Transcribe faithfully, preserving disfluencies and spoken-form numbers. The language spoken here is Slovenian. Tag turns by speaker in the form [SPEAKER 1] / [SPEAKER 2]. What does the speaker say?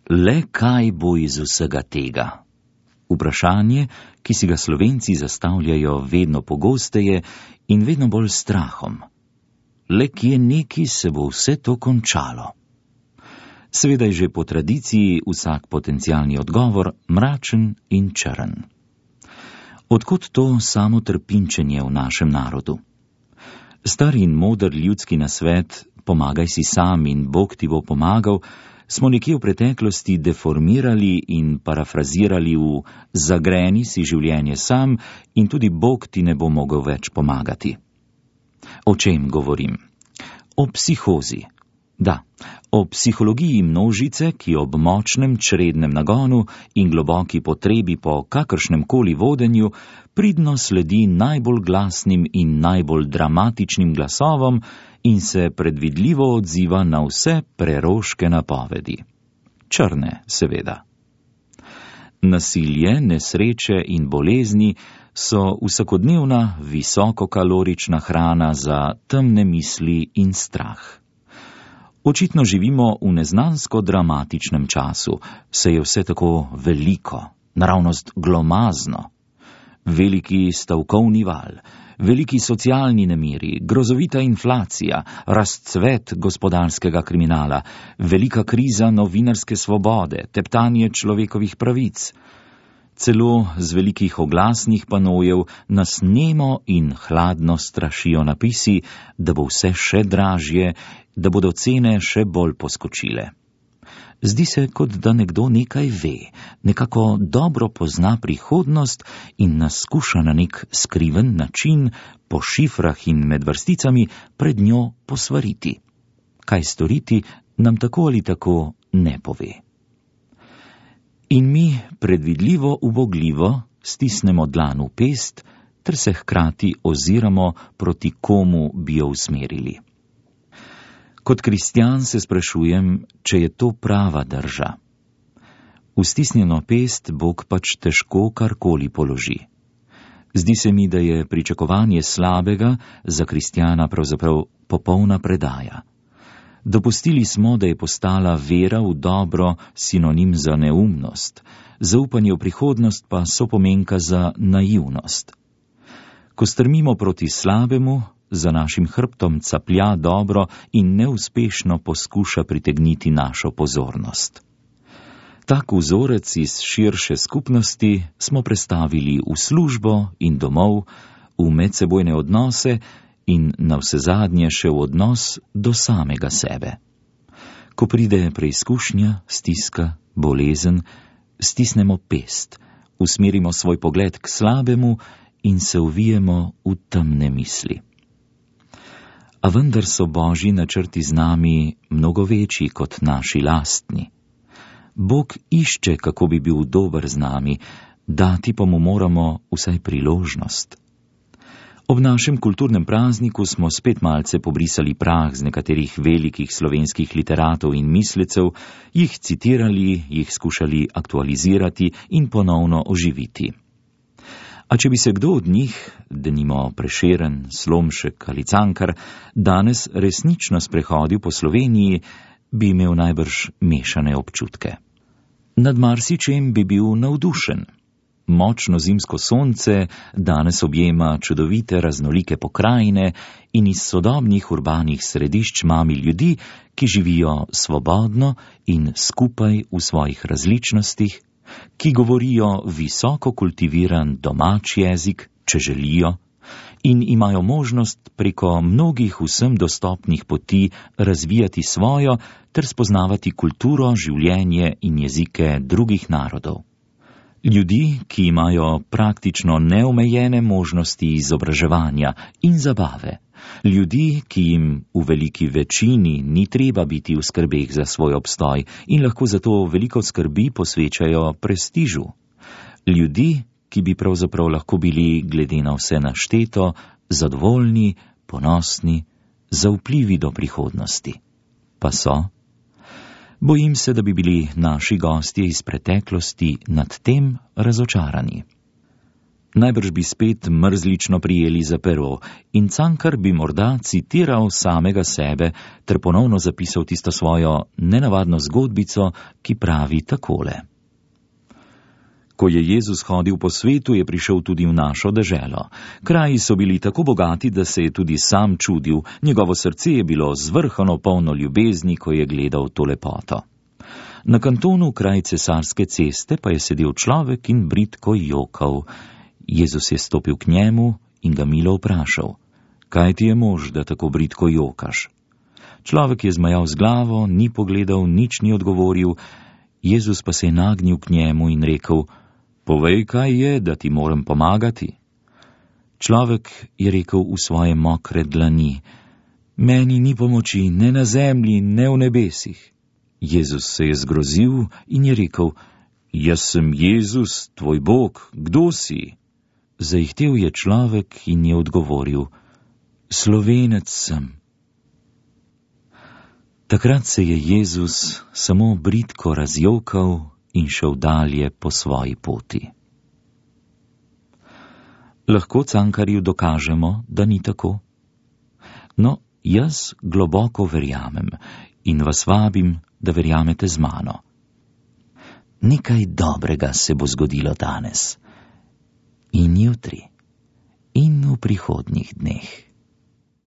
[SPEAKER 1] Le kaj bo iz vsega tega? Vprašanje, ki si ga Slovenci zastavljajo vedno pogosteje in vedno bolj strahom. Le kje neki se bo vse to končalo? Seveda je že po tradiciji vsak potencialni odgovor mračen in črn. Odkot to samo trpinčenje v našem narodu? Star in moder ljudski nasvet, pomagaj si sam in Bog ti bo pomagal, smo nekje v preteklosti deformirali in parafrazirali v zagreni si življenje sam in tudi Bog ti ne bo mogel več pomagati. O čem govorim? O psihozi. Da, o psihologiji množice, ki ob močnem črednem nagonu in globoki potrebi po kakršnem koli vodenju pridno sledi najbolj glasnim in najbolj dramatičnim glasovom in se predvidljivo odziva na vse preroške napovedi. Črne, seveda. Nasilje, nesreče in bolezni so vsakodnevna visokokalorična hrana za temne misli in strah. Očitno živimo v neznansko dramatičnem času, se je vse tako veliko, naravnost glomazno. Veliki stavkovni val, veliki socialni nemiri, grozovita inflacija, razcvet gospodarskega kriminala, velika kriza novinarske svobode, teptanje človekovih pravic. Celo z velikih oglasnih panojev nas nemo in hladno strašijo napisi, da bo vse še dražje, da bodo cene še bolj poskočile. Zdi se, kot da nekdo nekaj ve, nekako dobro pozna prihodnost in nas skuša na nek skriven način po šifrah in med vrsticami pred njo posvariti. Kaj storiti, nam tako ali tako ne pove. In mi predvidljivo ubogljivo stisnemo dlan v pest, ter se hkrati oziramo, proti komu bi jo usmerili. Kot kristjan se sprašujem, če je to prava drža. V stisnjeno pest Bog pač težko karkoli položi. Zdi se mi, da je pričakovanje slabega za kristjana pravzaprav popolna predaja. Dopustili smo, da je postala vera v dobro sinonim za neumnost, zaupanje v prihodnost pa sopomenka za naivnost. Ko strmimo proti slabemu, za našim hrbtom caplja dobro in neuspešno poskuša pritegniti našo pozornost. Tak vzorec iz širše skupnosti smo prestavili v službo in domov, v medsebojne odnose in navsezadnje še v odnos do samega sebe. Ko pride preizkušnja, stiska, bolezen, stisnemo pest, usmerimo svoj pogled k slabemu in se uvijemo v temne misli. A vendar so Božji načrti z nami mnogo večji kot naši lastni. Bog išče, kako bi bil dober z nami, dati pa mu moramo vsaj priložnost. Ob našem kulturnem prazniku smo spet malce pobrisali prah z nekaterih velikih slovenskih literatov in mislecev, jih citirali, jih skušali aktualizirati in ponovno oživiti. A če bi se kdo od njih, denimo Prešeren, Slomšek ali Cankar, danes resnično sprehodil po Sloveniji, bi imel najbrž mešane občutke. Nad marsičem bi bil navdušen. Močno zimsko sonce danes objema čudovite raznolike pokrajine in iz sodobnih urbanih središč mami ljudi, ki živijo svobodno in skupaj v svojih različnostih, ki govorijo visoko kultiviran domač jezik, če želijo, in imajo možnost preko mnogih vsem dostopnih poti razvijati svojo ter spoznavati kulturo, življenje in jezike drugih narodov. Ljudi, ki imajo praktično neomejene možnosti izobraževanja in zabave. Ljudi, ki jim v veliki večini ni treba biti v skrbeh za svoj obstoj in lahko zato veliko skrbi posvečajo prestižu. Ljudi, ki bi pravzaprav lahko bili, glede na vse našteto, zadovoljni, ponosni, zaupljivi do prihodnosti. Pa so? Bojim se, da bi bili naši gostje iz preteklosti nad tem razočarani. Najbrž bi spet mrzlično prijeli za pero in Cankar bi morda citiral samega sebe ter ponovno zapisal tisto svojo nenavadno zgodbico, ki pravi takole. Ko je Jezus hodil po svetu, je prišel tudi v našo deželo. Kraji so bili tako bogati, da se je tudi sam čudil, njegovo srce je bilo zvrhano polno ljubezni, ko je gledal to lepoto. Na kantonu kraj Cesarske ceste pa je sedel človek in bridko jokal. Jezus je stopil k njemu in ga milo vprašal, kaj ti je mož, da tako bridko jokaš? Človek je zmajal z glavo, ni pogledal, nič ni odgovoril, Jezus pa se je nagnil k njemu in rekel, povej, kaj je, da ti moram pomagati. Človek je rekel v svoje mokre dlani, meni ni pomoči ne na zemlji, ne v nebesih. Jezus se je zgrozil in je rekel, jaz sem Jezus, tvoj Bog, kdo si? Zaihtel je človek in je odgovoril, Slovenec sem. Takrat se je Jezus samo bridko razjokal in šel dalje po svoji poti. Lahko Cankarju dokažemo, da ni tako? No, jaz globoko verjamem in vas vabim, da verjamete z mano. Nekaj dobrega se bo zgodilo danes in jutri in v prihodnjih dneh.